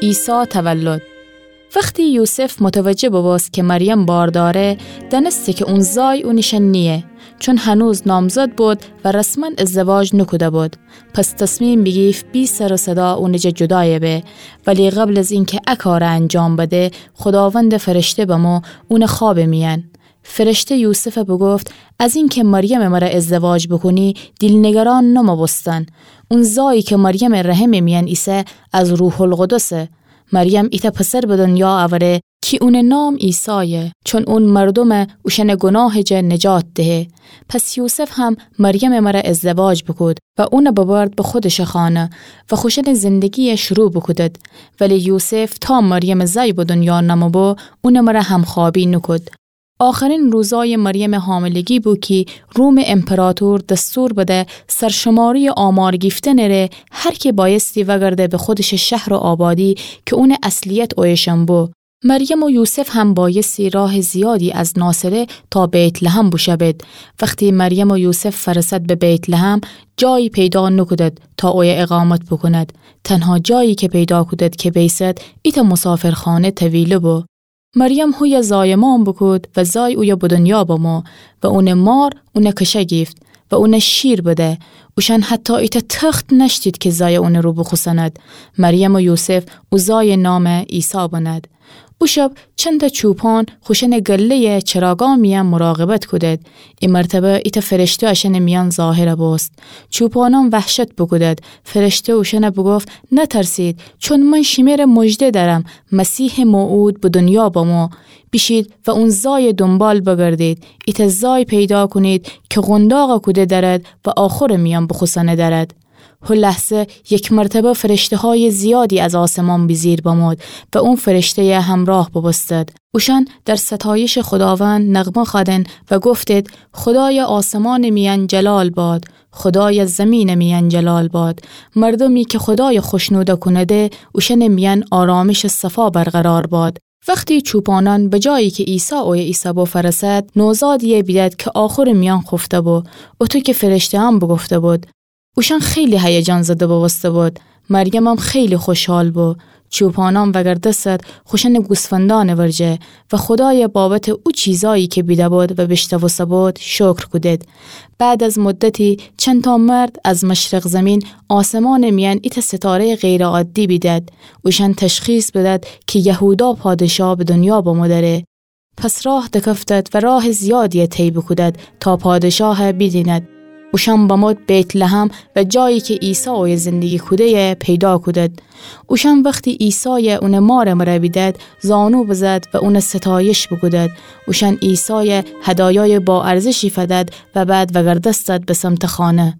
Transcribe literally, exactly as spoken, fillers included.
عیسی تولد. وختی یوسف متوجه ببوست کی مریم بار دأره، دأنسته کی اون زای اونٚ شأن نییه، چون هنوز نامزد بود و رسماً ازدواج نوکوده بود. پس تصمیم بیگیفت بی سر و صدا اونٚ جا جودایه به. ولی قبل از اینکی ا کاره انجام بده، خوداوندٚ فرشته بمو اونٚ خوابٚ میأن. فرشته یوسفَ بوگفت: از اینکی مریمٚ مره ازدواج بوکونی، دیل نگران نمو بوستن. اون زایی کی مریمٚ رحمٚ میأن ایسه، از روح‌القدسه. مریم ایتأ پسر به دنیا اوره کی اونٚ نام عیسایه، چون اون مردومَ اوشأنٚ گوناهٚ جا نجات دهه. پس یوسف هم مریمٚ مره ازدواج بوکود و اونَ ببرد به خودشٚ خانه و خوشأنٚ زندگیَ شروع بوکودد. ولی یوسف تا مریمٚ زای به دنیا نمو بو، اونٚ مره همخوابی نوکود. آخرین روزای مریمٚ حاملگی بو کی رومٚ امپراطور دستور بده سرشماری آمار گیفتنٚ ره هر کی بایستی وگرده به خودشٚ شهر و آبادی کی اونٚ اصلیت اویه شن بو. مریم و یوسف هم بایستی راه زیادی از ناصره تا بیت‌لحم بوشوید. وختی مریم و یوسف فرسد به بیت‌لحم، جایی پیدا نوکودد تا اویه اقامت بوکوند. تنها جایی کی پیدا کودد کی بیسد، ایتأ مسافرخانه طویله بو. مریم هویه زایمان بوکود و زای اویه به دنیا بمو و اونٚ مار اونَ کشه گیفت و اونَ شیر بده. اوشأن حتی ایتأ تخت نأشتید کی زای اونٚ رو بوخوسند. مریم و یوسف او زایٚ نام عیسی بنهد. او شب چندتأ چوپان خوشأنٚ گله‌یٚ چراگا میأن مراقبت کودد. ای مرتبه ایتأ فرشته اشأنٚ میأن ظاهر بوست. چوپانان وحشت بوکودد. فرشته اوشأنَ بوگفت: نترسید، چون من شیمره مژده دأرم، مسیحٚ موعود به دنیا بمو. بیشید و اون زایٚ دونبال بگردید. ایتأ زای پیدا کونید کی قونداقَ کوده دأرد و آخورٚ میأن بوخوسأنه دأرد. هو لحظه یک مرتبه فرشته‌های زیادی از آسمان بیجیر بمود و اون فرشته‌یٚ همراه بوبوستد. اوشأن در ستایشٚ خوداوند نغمه خوأدن و گفتید: خدایٚ آسمانٚ میأن جلال باد، خدایٚ زیمینٚ میأن جلال باد. مردومی کی خدایَ خوشنود کونده، اوشأنٚ میأن آرامشٚ صفا برقرار باد. وختی چوپانان به جایی کی عیسی اویه ایسه‌بو فرسد، نوزادی‌یی بیدد کی آخورٚ میأن خوفته‌بو، اوطو کی فرشته‌یأن بوگفته‌بود. اوشأن خیلی هیجان زده بوبوسته‌بود. مریمم خیلی خوشحال بو. چوپانان وگردستد خوشأنٚ گوسفندأنٚ ورجه و خدایَ بابتٚ او چیزایی کی بیده‌بود و بیشنوسته‌بود شکر کودید. بعد از مدتی چندتأ مرد از مشرق زیمین آسمانٚ میأن ایتأ ستاره‌یٚ غیرعادی بیدد. اوشأن تشخیص بدد کی یهودا پادشاه به دنیا بمو دأره. پس راه دکفتد و راه زیادی‌یَ طی بوکودد تا پادشاهَ بیدیند. اوشأن بمود بیت‌لحم و جایی کی عیسی اویه زندگی کوده‌یَ پیدا کودد. اوشأن وختی عیسایَ اونٚ مارٚ مره بیدد، زانو بزد و اونَ ستایش بوکودد. اوشأن عیسایَ هدایایٚ با ارزشی فدد و بعد وگردستد به سمتٚ خانه.